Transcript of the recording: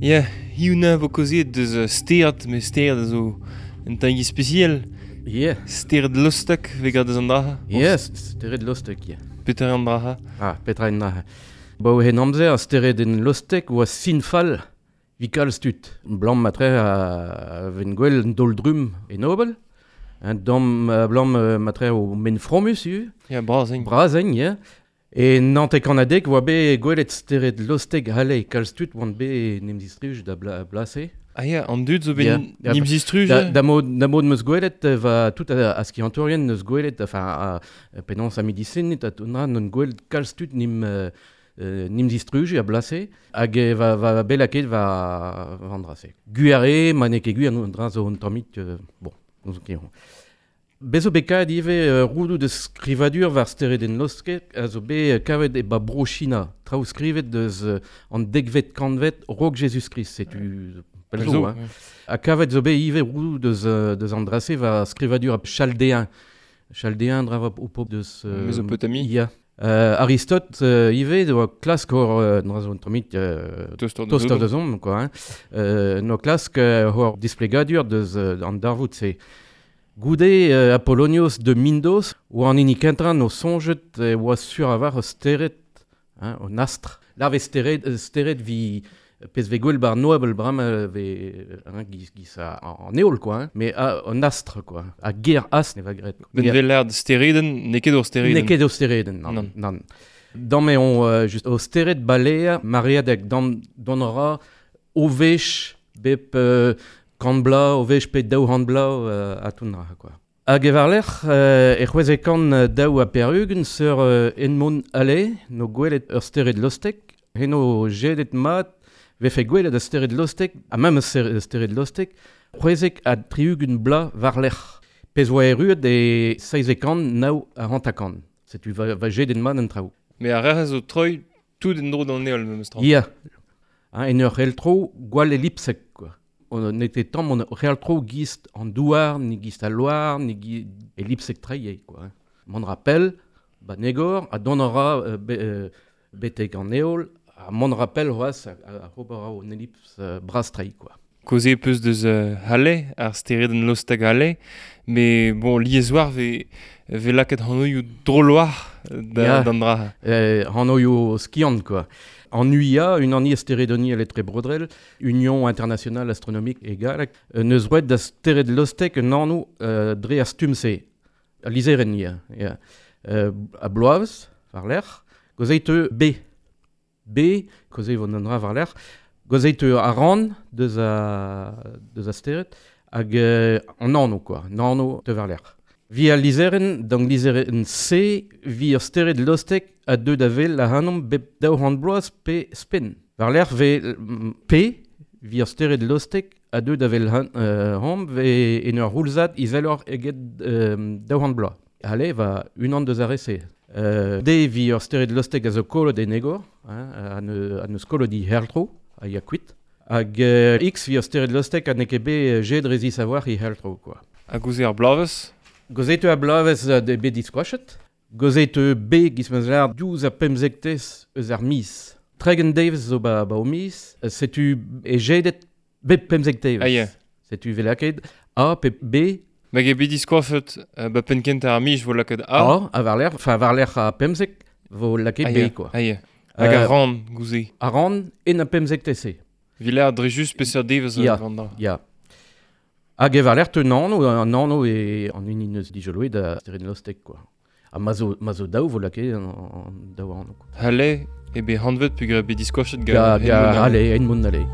Ya, hiziv neuze vo kaozeet deus stered, met stered a zo un tamm ispisial. Yeah. Stered lostek vez graet deus an dra. Yes, stered lostek, yeah. Petra eo an dra? Ah, petra eo an dra? Ba o hen amzer, ar steredenn lostek oa sin fall 'vit kalz tud. Blam matre a ven gwell un daol-drumm e Nobel. Un damm blam matre o men fromus ivez. Ya, bras int. Bras int, yeah. E 1990 oa bet gwelet stered lostek Halley kalz tud oant bet 'n em zistruj da blase. Ah ya, an dud zo bet 'n em zistruj? Da mod, da mod 'meus gwelet va tout a skiantourien 'neus gwelet, enfin, penaos a medisined ha tout dra, n'on gwelet kalz tud 'n em 'n em zistruje a blase hag va va bet lakaet va va an dra-se. Gwir eo, ma n'eo ket gwir an dra zo un tammig, bon, n'ouzon ket. Bez zo bet kavet ivez roudoù deus skrivadur war steredenn Losket a zo bet kavet e ba Bro-China. Traoù skrivet deus an dekvet kantved raok Jezuz-Krist, setu pell zo. Hein. Ha kavet zo bet ivez roudoù deus, deus an dra-se war skrivadur chaldéen. Chaldéen dra o pop deus... Mesopotamie. Ya. Aristote ivez oa klask hor dra zo un tammig tostoc'h da zomp quoi. Hein. Noa klask hor displegadur deus an darvoud-se. Goude Apollonios de Myndos oa an hini kentañ o soñjet e oa sur a-walc'h ur stered, hein, un astr. La vez stered, stered vi pezh vez gwell bar Noabl bremañ vez hein, giz, giz an heol quoi, hein, mais un astr quoi. Ha ger astr ne va graet. Ben vel lâret steredenn, n'eo ket ur steredenn. N'eo ket ur steredenn, nann. Nann. Dam eo just o stered balea mareadek dam dont a ra o wech bep kant bloaz, o wech pe 200 bloaz ha tout dra quoi. Hag e war-lerc'h e 642 seur Edmond Halley no gwelet ur stered lostek, eno jedet mat vefe gwelet ur stered lostek, ha memes stered lostek, 76 bloaz war-lerc'h. Pezh oa erruet e 750. Setu va, va jedet mat an traoù. Mais ar re zo troi tout en-dro d'an heol memes tra. Ya. Hein, en ur c'heltro gwall elipsek quoi. N'eo tamm on c'heltro gist an douar, ni gist al loar, ni gi elipsek tre eo quoi. Mont ra pell, ba negor, ha dont a ra betek an heol, ha mont ra pell c'hoazh a ober a ra un elips bras-tre quoi. Kaozeet peus deus Halley, ar steredenn lostek Halley, met bon, lieswar vez vez lakaet hanoioù droloar da, d'an dra. Hanoioù skiant quoi. An UIA, Unaniezh Steredoniel Etrebrodrel, Union Internationale Astronomique e galleg, neus roet da stered lostek un anv dre ar stumm-se. Al lizherenn, ya. ya. A bloavezh, war-lerc'h, gozeit B. B, kaozeet vo an dra war-lerc'h, kaozeet a ran deus a, deus a stered, hag an anv, quoi, an anv teu war-lerc'h. Vi al lizherenn, d'an lizherenn C, vi ur stered lostek a deu da wel ac'hanomp bep 200 bloaz pe spenn. War-lerc'h vez P, vi ur stered lostek a deu da wel hom ve en ur c'houlzad izeloc'h eget 200 bloaz. Allez, va unan deus ar re-se. D vi ur stered lostek a zo kollet en egor, hein, ha neus kollet he herltro, a ya kuit. Hag X vi ur stered lostek ha n'eo ket bet jet rezis a-walc'h he herltro, quoi. Hag ouzh ar bloavezh? Gozet eo ar bloavezh bet diskoachet. Gozet eo B giz ma lâr diouzh ar pemzektez eus ar miz. 30 devezh zo ba, ba o miz, setu e jedet bep 15 devezh. Ah, yeah. Setu vel lakaet A pe B. Hag eo bet diskoafet ba penn kentañ ar miz vo lakaet A. A, ha war-lerc'h, enfin war-lerc'h ar 15 vo lakaet B, quoi. Ah, yeah. Hag ar ran, gouze. Ar ran en ar 15 se. Villard dre just peseurt devezh ya, ya. Hag e war-lerc'h teu an anv, an anv eo an hini neus dijoloet da stered Lostek, quoi. Ha ma zo, ma zo daou vo lakaet an, an daou anv. Halley eo bet hanvet peogwir eo bet diskoachet gant Ga, ga Halley, Edmund Halley.